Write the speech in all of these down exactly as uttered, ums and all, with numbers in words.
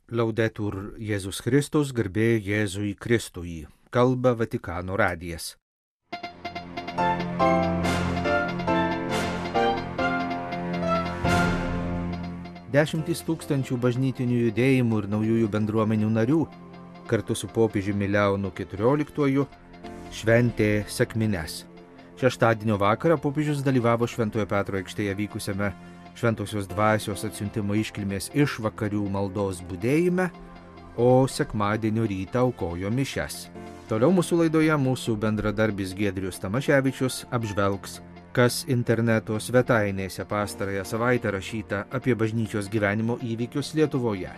Laudetur Jėzus Kristus, garbė Jėzui Kristui. Kalba Vatikano radijas. Dešimtys tūkstančių bažnytinių judėjimų ir naujųjų bendruomenių narių kartu su popiežiumi Leonu keturioliktuoju šventė sekmines. Šeštadienio vakarą popiežius dalyvavo Šventojo Petro aikštėje vykusiame Šventosios dvasios atsiuntimo iškilmės išvakarių maldos budėjime, o sekmadienio rytą aukojo mišias. Toliau mūsų laidoje mūsų bendradarbis Giedrius Tamaševičius apžvelgs, kas interneto svetainėse pastarąją savaitę rašyta apie bažnyčios gyvenimo įvykius Lietuvoje.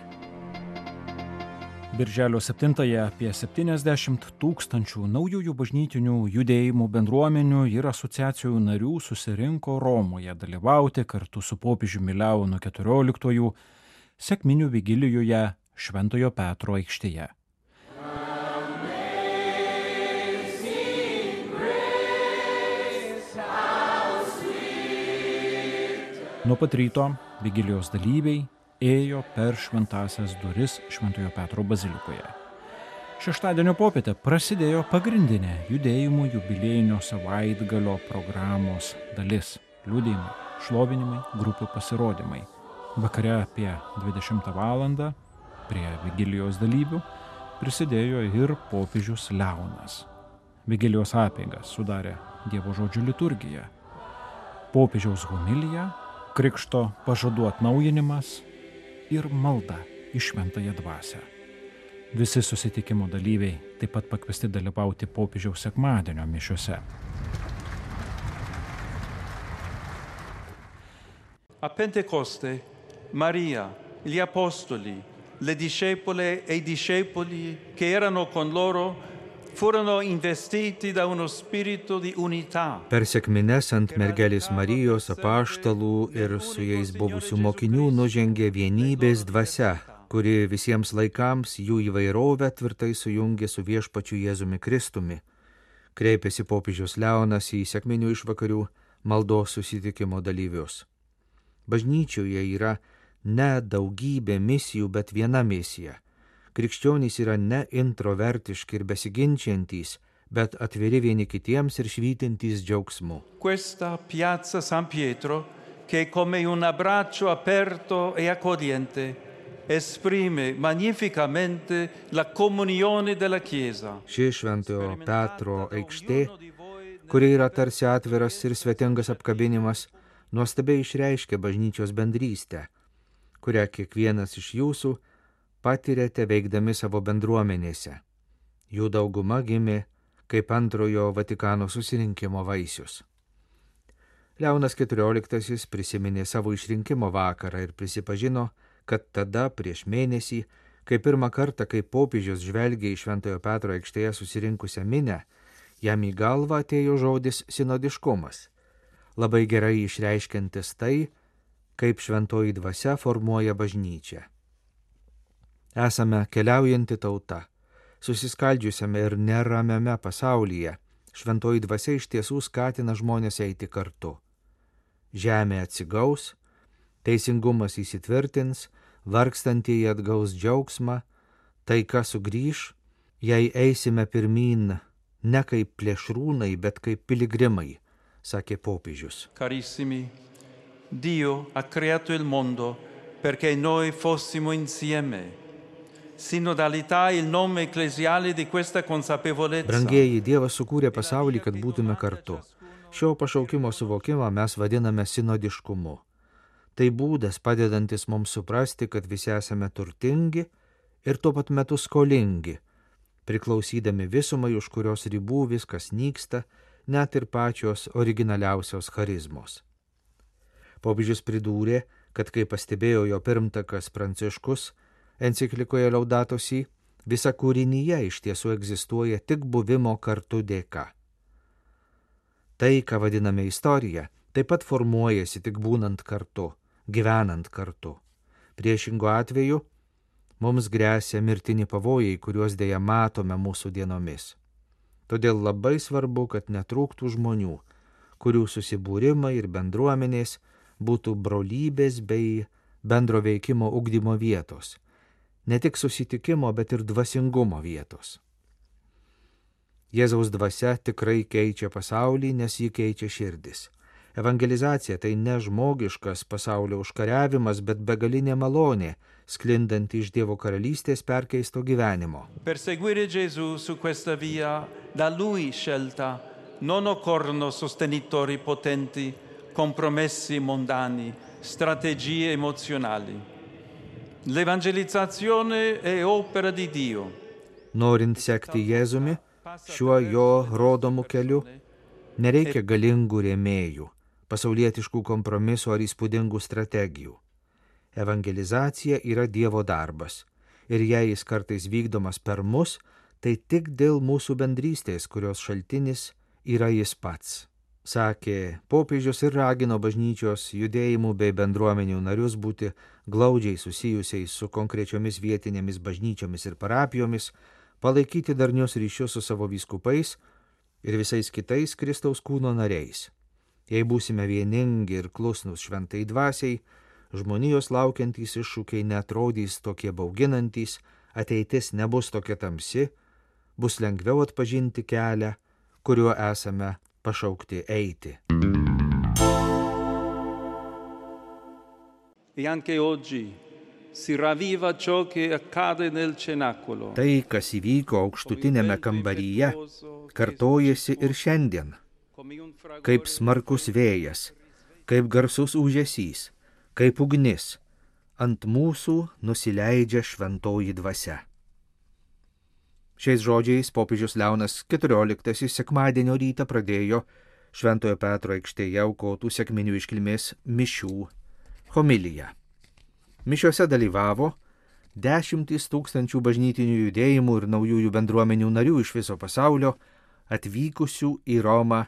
Birželio septintąją apie septyniasdešimt tūkstančių naujųjų bažnytinių judėjimų bendruomenių ir asociacijų narių susirinko Romoje dalyvauti kartu su popiežiumi Leonu keturioliktuoju sekminių vigilijoje Šventojo Petro aikštėje. Nuo pat ryto vigilijos dalyviai ėjo per šventąsias duris Šventojo Petro bazilikoje. Šeštadienio popietę prasidėjo pagrindinė judėjimų jubiliejinio savaitgalio programos dalis – liudijimai, šlovinimai, grupių pasirodymai. Vakare apie dvidešimtą valandą prie vigilijos dalyvių prisidėjo ir popiežius Leonas. Vigilijos apeigas sudarė Dievo žodžio liturgija, popiežiaus homilija, krikšto pažadų atnaujinimas ir malda į šventąją dvasią. Visi susitikimo dalyviai taip pat pakviesti dalyvauti popiežiaus sekmadienio mišiose. A Pentecoste, Maria, gli apostoli, le discepole e i discepoli che erano con loro furono investiti da uno spirito di unità. Per sekmines ant mergelės Marijos apaštalų ir su jais buvusių mokinių nužengė vienybės dvasia, kuri visiems laikams jų įvairovę tvirtai sujungė su viešpačiu Jėzumi Kristumi. Kreipėsi popiežius Leonas į sekminių išvakarių maldos susitikimo dalyvius. Bažnyčioje yra ne daugybė misijų, bet viena misija. Krikščionys yra ne introvertiški ir besiginčiantys, bet atviri vieni kitiems ir švytintys džiaugsmu. Questa piazza San Pietro, che come un abbraccio aperto e accogliente, esprime magnificamente la comunione della Chiesa. Ši Šventojo Petro aikštė, kuri yra tarsi atviras ir svetingas apkabinimas, nuostabiai išreiškia bažnyčios bendrystę, kurią kiekvienas iš jūsų patirėte veikdami savo bendruomenėse. Jų dauguma gimė kaip antrojo Vatikano susirinkimo vaisius. Leonas keturioliktasis prisiminė savo išrinkimo vakarą ir prisipažino, kad tada prieš mėnesį, kai pirmą kartą, kai popiežius žvelgė į Šventojo Petro aikštėje susirinkusią minią, jam į galvą atėjo žodis sinodiškumas, labai gerai išreiškiantis tai, kaip šventoji dvasia formuoja bažnyčią. Esame keliaujanti tauta, susiskaldžiusiame ir neramiame pasaulyje. Šventoji dvasia iš tiesų skatina žmonės eiti kartu. Žemė atsigaus, teisingumas įsitvirtins, vargstantieji atgaus džiaugsmą, taika sugrįš, jei eisime pirmyn ne kaip plėšrūnai, bet kaip piligrimai, sakė popiežius. Carissimi, Dio ha creato il mondo perché noi fossimo insieme. Sinodalità il nome ecclesiale di questa consapevolezza. Brangieji, Dievas sukūrė pasaulį, kad būtume kartu. Šio pašaukimo suvokimą mes vadiname sinodiškumu. Tai būdas padedantis mums suprasti, kad visi esame turtingi ir tuo pat metu skolingi, priklausydami visumai, už kurios ribų viskas nyksta, net ir pačios originaliausios charizmos. Popiežius pridūrė, kad kai pastebėjo jo pirmtakas Pranciškus, enciklikoje Laudato Si, visa kūrinyje iš tiesų egzistuoja tik buvimo kartu dėka. Tai, ką vadiname istorija, taip pat formuojasi tik būnant kartu, gyvenant kartu. Priešingu atveju mums gresia mirtini pavojai, kuriuos dėja matome mūsų dienomis. Todėl labai svarbu, kad netrūktų žmonių, kurių susibūrimai ir bendruomenės būtų brolybės bei bendro veikimo ugdymo vietos, ne tik susitikimo, bet ir dvasingumo vietos. Jėzaus dvasia tikrai keičia pasaulį, nes jį keičia širdis. Evangelizacija tai ne žmogiškas pasaulio užkariavimas, bet begalinė malonė, sklindanti iš Dievo karalystės perkeisto gyvenimo. Per seguire Gesù su questa via, da Lui scelta, non occorrono sostenitori potenti, compromessi mondani, strategie emozionali. L'evangelizzazione è opera di Dio. Norint sekti Jėzumi, šiuo jo rodomu keliu, nereikia galingų rėmėjų, pasaulietiškų kompromisų ar įspūdingų strategijų. Evangelizacija yra Dievo darbas, ir jei jis kartais vykdomas per mus, tai tik dėl mūsų bendrystės, kurios šaltinis yra jis pats. Sakė popiežius ir ragino bažnyčios judėjimų bei bendruomenių narius būti glaudžiai susijusiais su konkrečiomis vietinėmis bažnyčiomis ir parapijomis, palaikyti darnius ryšius su savo vyskupais ir visais kitais Kristaus kūno nariais. Jei būsime vieningi ir klusnus šventai dvasiai, žmonijos laukiantys iššūkiai netrodys tokie bauginantys, ateitis nebus tokia tamsi, bus lengviau atpažinti kelią, kuriuo esame pašaukti eiti. E anche oggi si ravviva ciò che accade nel cenacolo. Tai, kas įvyko aukštutinėme kambaryje, kartojasi ir šiandien, kaip smarkus vėjas, kaip garsus ūžesys, kaip ugnis, ant mūsų nusileidžia šventoji dvasia. Šiais žodžiais popiežius Leonas keturioliktasis sekmadienio rytą pradėjo Šventojo Petro aikštėje aukotų sekminių iškilmės mišių homiliją. Mišiuose dalyvavo dešimtys tūkstančių bažnytinių judėjimų ir naujųjų bendruomenių narių iš viso pasaulio, atvykusių į Romą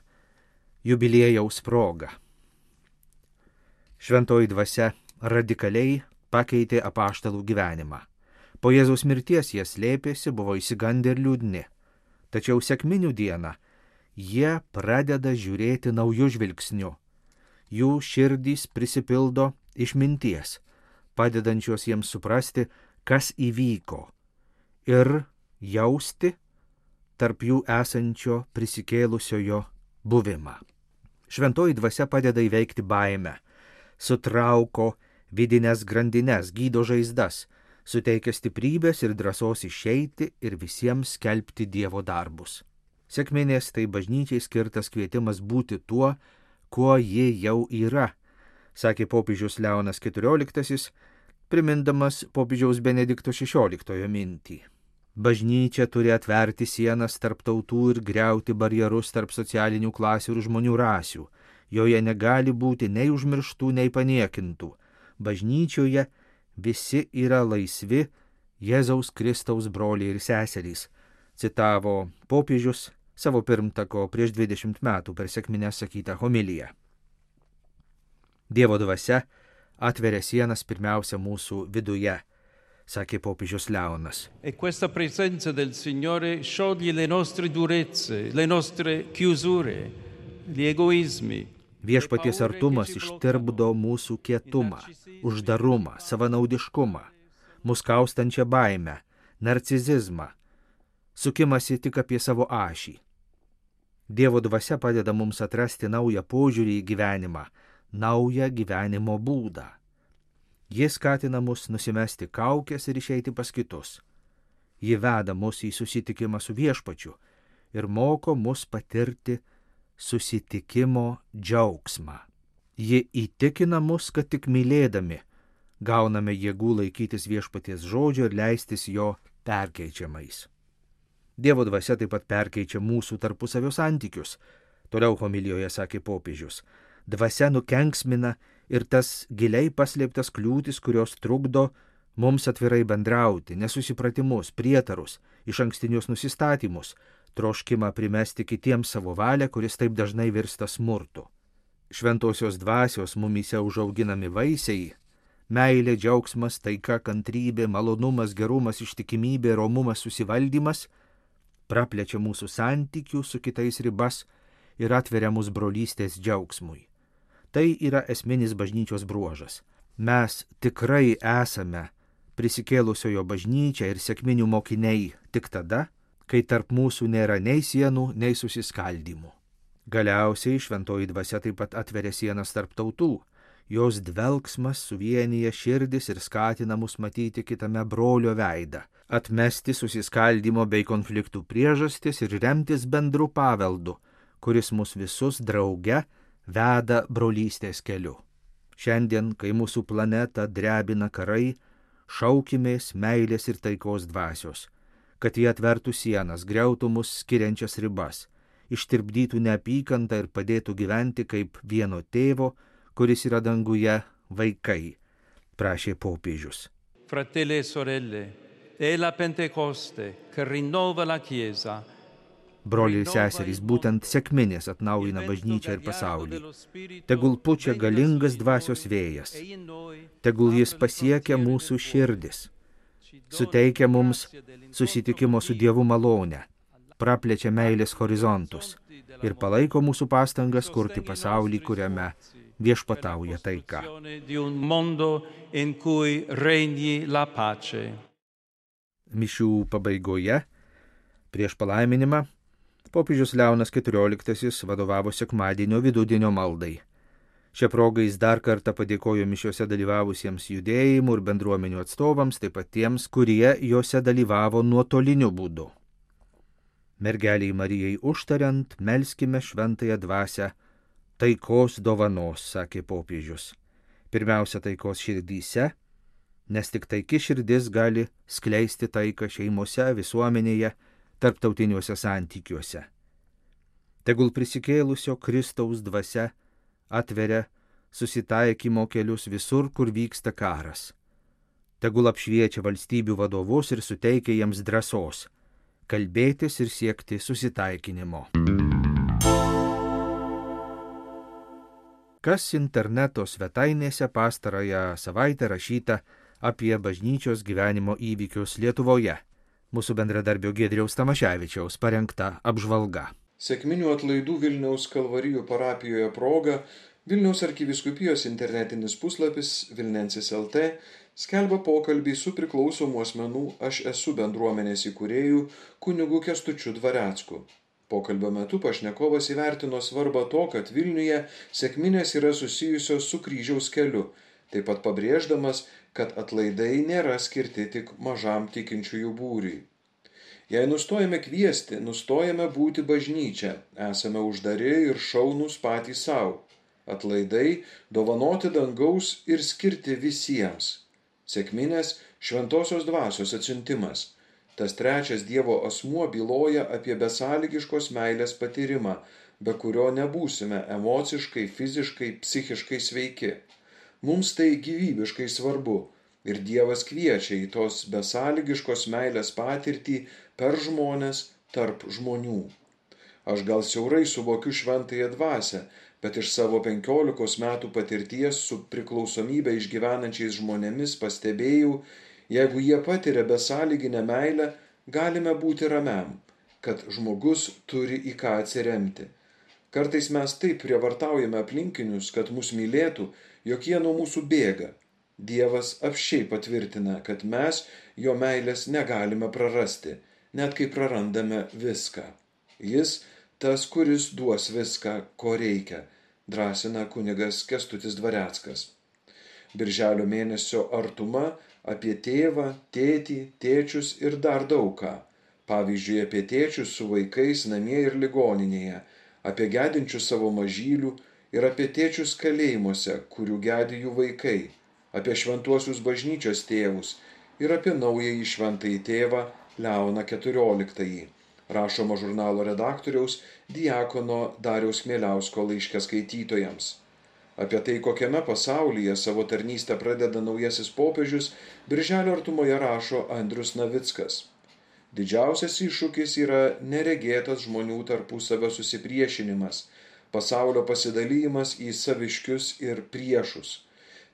jubiliejaus progą. Šventoji dvasia radikaliai pakeitė apaštalų gyvenimą. Po Jėzaus mirties jie slėpėsi, buvo išsigandę ir liūdni. Tačiau sekminių dieną jie pradeda žiūrėti naujų žvilgsnių. Jų širdys prisipildo išminties, padedančios jiems suprasti, kas įvyko, ir jausti tarp jų esančio prisikėlusiojo buvimą. Šventoji dvasia padeda įveikti baimę, sutrauko vidinės grandines, gydo žaizdas, suteikia stiprybės ir drąsos išeiti ir visiems skelbti Dievo darbus. Sekminės tai bažnyčiai skirtas kvietimas būti tuo, kuo ji jau yra, sakė popiežius Leonas keturioliktasis, primindamas popiežiaus Benedikto šešioliktojo mintį. Bažnyčia turi atverti sienas tarp tautų ir griauti barjerus tarp socialinių klasių ir žmonių rasių. Joje negali būti nei užmirštų, nei paniekintų. Bažnyčioje visi yra laisvi Jėzaus Kristaus broliai ir seserys, citavo popiežius savo pirmtako prieš dvidešimt metų per sekmines sakytą homiliją. Dievo dvasia atveria sienas pirmiausia mūsų viduje, sakė popiežius Leonas. E questa presenza del Signore scioglie le nostre durezze, le nostre chiusure, gli egoismi. Viešpaties artumas ištirpdo mūsų kietumą, uždarumą, savanaudiškumą, mus kaustančią baimę, narcizizmą, sukimasi tik apie savo ašį. Dievo dvasia padeda mums atrasti naują požiūrį į gyvenimą, naują gyvenimo būdą. Jis skatina mus nusimesti kaukes ir išeiti pas kitus. Ji veda mus į susitikimą su Viešpačiu ir moko mus patirti susitikimo džiaugsmą. Ji įtikina mus, kad tik mylėdami gauname jėgų laikytis Viešpaties žodžio ir leistis jo perkeičiamais. Dievo dvasia taip pat perkeičia mūsų tarpusavio santykius, toliau homilijoje sakė popiežius. Dvasia nukenksmina ir tas giliai paslėptas kliūtis, kurios trukdo mums atvirai bendrauti, nesusipratimus, prietarus, išankstinius nusistatymus, troškimą primesti kitiems savo valią, kuris taip dažnai virsta smurtu. Šventosios dvasios mumyse užauginami vaisiai – meilė, džiaugsmas, taika, kantrybė, malonumas, gerumas, ištikimybė, romumas, susivaldymas – praplečia mūsų santykių su kitais ribas ir atveria mus brolystės džiaugsmui. Tai yra esminis bažnyčios bruožas. Mes tikrai esame prisikėlusiojo bažnyčia ir sekminių mokiniai tik tada, kai tarp mūsų nėra nei sienų, nei susiskaldymų. Galiausiai šventoji dvasia taip pat atveria sienas tarp tautų. Jos dvelksmas suvienyje širdis ir skatina mus matyti kitame brolio veidą, atmesti susiskaldimo bei konfliktų priežastis ir remtis bendru paveldu, kuris mus visus drauge veda brolystės keliu. Šiandien, kai mūsų planetą drebina karai, šaukimės meilės ir taikos dvasios, kad jie atvertų sienas, griautų mus skiriančias ribas, ištirpdytų neapykantą ir padėtų gyventi kaip vieno tėvo, kuris yra danguje, vaikai, prašė popiežius. Fratelli e sorelle, è la Pentecoste che rinnova la Chiesa. Broliai ir seserys, būtent sekminės atnaujina bažnyčią ir pasaulį. Tegul pučia galingas dvasios vėjas. Tegul jis pasiekia mūsų širdis. Suteikia mums susitikimo su Dievu malonę, praplečia meilės horizontus ir palaiko mūsų pastangas kurti pasaulį, kuriame viešpatauja taika. Mišių pabaigoje, prieš palaiminimą, popiežius Leonas keturioliktasis vadovavo sekmadienio vidudienio maldai. Šią progą jis dar kartą padėkojo mišiuose dalyvavusiems judėjimų ir bendruomenių atstovams, taip pat tiems, kurie juose dalyvavo nuotoliniu būdu. Mergeliai Marijai užtariant, melskime šventąją dvasią taikos dovanos, sakė popiežius. Pirmiausia, taikos širdyse, nes tik taiki širdis gali skleisti taiką šeimose, visuomenėje, tarptautiniuose santykiuose. Tegul prisikėlusio Kristaus dvasia atveria susitaikymo kelius visur, kur vyksta karas. Tegul apšviečia valstybių vadovus ir suteikia jiems drąsos kalbėtis ir siekti susitaikinimo. Kas interneto svetainėse pastarąją savaitę rašyta apie bažnyčios gyvenimo įvykius Lietuvoje. Mūsų bendradarbio Giedriaus Tamaševičiaus parengta apžvalga. Sekminių atlaidų Vilniaus Kalvarijų parapijoje proga Vilniaus arkivyskupijos internetinis puslapis Vilnensis L T skelbia pokalbį su priklausomų asmenų Aš esu bendruomenės įkūrėju kunigu Kęstučiu Dvarecku. Pokalbio metu pašnekovas įvertino svarbą to, kad Vilniuje sekminės yra susijusios su kryžiaus keliu, taip pat pabrėždamas, kad atlaidai nėra skirti tik mažam tikinčiųjų būriui. Jei nustojame kviesti, nustojame būti bažnyčia, esame uždari ir šaunūs patys savo. Atlaidai dovanoti dangaus ir skirti visiems. Sekminės šventosios dvasios atsiuntimas. Tas trečias Dievo asmuo byloja apie besąlygiškos meilės patyrimą, be kurio nebūsime emociškai, fiziškai, psichiškai sveiki. Mums tai gyvybiškai svarbu ir Dievas kviečia į tos besąlygiškos meilės patirtį per žmones tarp žmonių. Aš gal siaurai suvokiu šventąją dvasią, bet iš savo penkiolikos metų patirties su priklausomybę išgyvenančiais žmonėmis pastebėjau, jeigu jie patiria besąlyginę meilę, galime būti ramiam, kad žmogus turi į ką atsiremti. Kartais mes taip prievartaujame aplinkinius, kad mus mylėtų, jog jie nuo mūsų bėga. Dievas apsčiai patvirtina, kad mes jo meilės negalime prarasti, net kai prarandame viską. Jis tas, kuris duos viską, ko reikia, drąsina kunigas Kęstutis Dvareckas. Birželio mėnesio artuma apie tėvą, tėtį, tėčius ir dar daug ką. Pavyzdžiui, apie tėčius su vaikais namie ir ligoninėje, apie gedinčius savo mažylių ir apie tėčius kalėjimuose, kurių gedi jų vaikai, apie šventuosius bažnyčios tėvus ir apie naująjį šventąjį tėvą Leoną keturioliktąjį. Rašoma žurnalo redaktoriaus diakono Dariaus Mieliausko laiške skaitytojams. Apie tai, kokiame pasaulyje savo tarnystę pradeda naujasis popiežius, birželio artumoje rašo Andrius Navickas. Didžiausias iššūkis yra neregėtas žmonių tarpusavio susipriešinimas, pasaulio pasidalymas į saviškius ir priešus.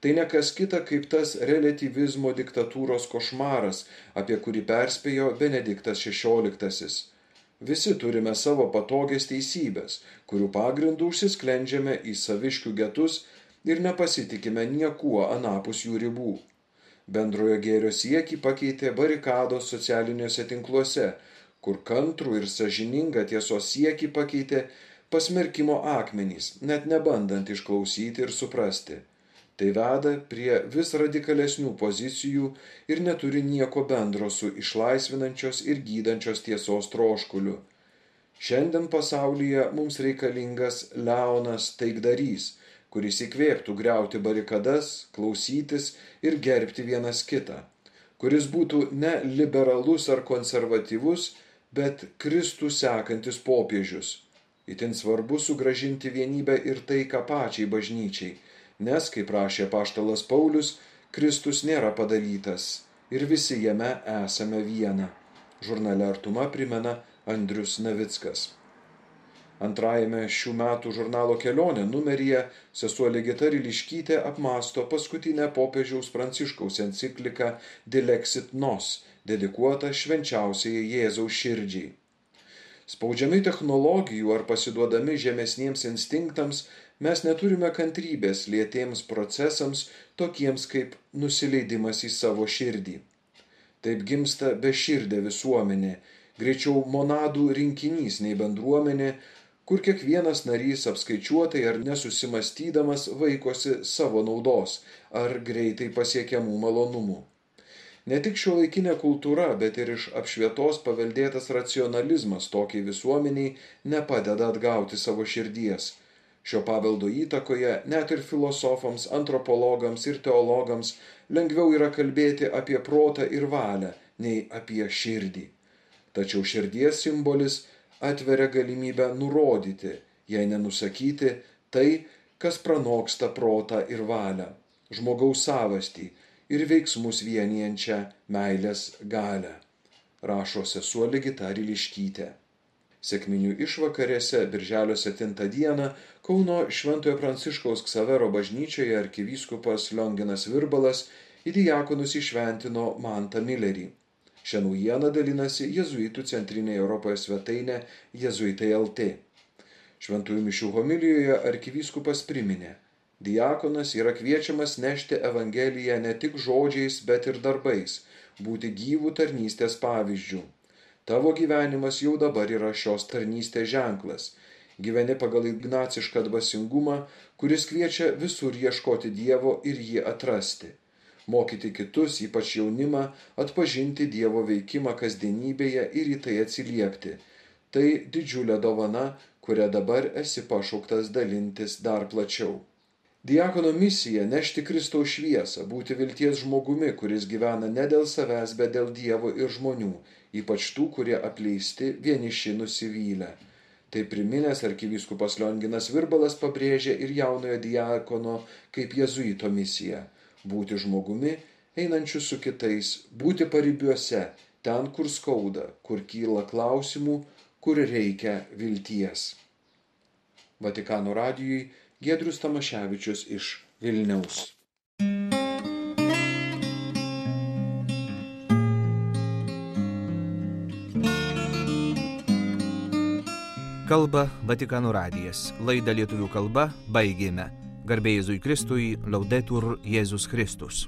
Tai ne kas kita kaip tas relativizmo diktatūros košmaras, apie kurį perspėjo Benediktas šešioliktasis. Visi turime savo patogias teisybės, kurių pagrindų užsisklendžiame į saviškių getus ir nepasitikime niekuo anapus jų ribų. Bendrojo gėrio siekį pakeitė barikados socialiniuose tinkluose, kur kantrų ir sąžiningą tiesos siekį pakeitė pasmerkimo akmenys, net nebandant išklausyti ir suprasti. Tai veda prie vis radikalesnių pozicijų ir neturi nieko bendro su išlaisvinančios ir gydančios tiesos troškuliu. Šiandien pasaulyje mums reikalingas Leonas taikdarys, kuris įkvėptų griauti barikadas, klausytis ir gerbti vienas kitą, kuris būtų ne liberalus ar konservatyvus, bet Kristų sekantis popiežius. Itin svarbu sugrąžinti vienybę ir taiką pačiai bažnyčiai, nes, kaip rašė apaštalas Paulius, Kristus nėra padalytas ir visi jame esame viena. Žurnale Artuma primena Andrius Navickas. Antrajame šių metų žurnalo Kelionė numeryje sesuo Ligita Ryliškytė apmąsto paskutinę popiežiaus Pranciškaus encikliką Dilexit Nos, dedikuotą švenčiausiai Jėzaus širdžiai. Spaudžiami technologijų ar pasiduodami žemesniems instinktams, mes neturime kantrybės lėtiems procesams, tokiems kaip nusileidimas į savo širdį. Taip gimsta beširdė visuomenė, greičiau monadų rinkinys nei bendruomenė, kur kiekvienas narys apskaičiuotai ar nesusimastydamas vaikosi savo naudos ar greitai pasiekiamų malonumų. Ne tik šiuolaikinė kultūra, bet ir iš apšvietos paveldėtas racionalizmas tokiai visuomeniai nepadeda atgauti savo širdies. Šio paveldo įtakoje net ir filosofams, antropologams ir teologams lengviau yra kalbėti apie protą ir valią, nei apie širdį. Tačiau širdies simbolis atveria galimybę nurodyti, jei nenusakyti, tai, kas pranoksta protą ir valią, žmogaus savastį ir veiksmus vienijančią meilės galią, rašo sesuo Ligita Ryliškytė. Sekminių išvakarėse birželio septintą dieną Kauno Šventojo Pranciškaus Ksavero bažnyčioje arkivyskupas Lionginas Virbalas į diakonus įšventino Mantą Milerį. Šią naujieną dalinasi jėzuitų centrinėje Europoje svetainė Jėzuitai L T. Šventųjų mišių homilijoje arkivyskupas priminė: diakonas yra kviečiamas nešti Evangeliją ne tik žodžiais, bet ir darbais, būti gyvų tarnystės pavyzdžių. Tavo gyvenimas jau dabar yra šios tarnystės ženklas. Gyveni pagal ignacišką dvasingumą, kuris kviečia visur ieškoti Dievo ir jį atrasti. Mokyti kitus, ypač jaunimą, atpažinti Dievo veikimą kasdienybėje ir į tai atsiliepti. Tai didžiulė dovana, kurią dabar esi pašauktas dalintis dar plačiau. Diakono misija – nešti Kristaus šviesą, būti vilties žmogumi, kuris gyvena ne dėl savęs, bet dėl Dievo ir žmonių, ypač tų, kurie apleisti, vieniši, nusivylę. Tai priminęs arkivyskupas Lionginas Virbalas pabrėžė ir jaunojo diakono kaip jėzuito misiją – būti žmogumi, einančiu su kitais, būti paribiuose, ten, kur skauda, kur kyla klausimų, kur reikia vilties. Vatikano radijui Giedrius Tamaševičius iš Vilniaus. Kalba Vatikano radijas. Laidą lietuvių kalba baigėme. Garbė Jėzui Kristui, Laudetur Jėzus Kristus.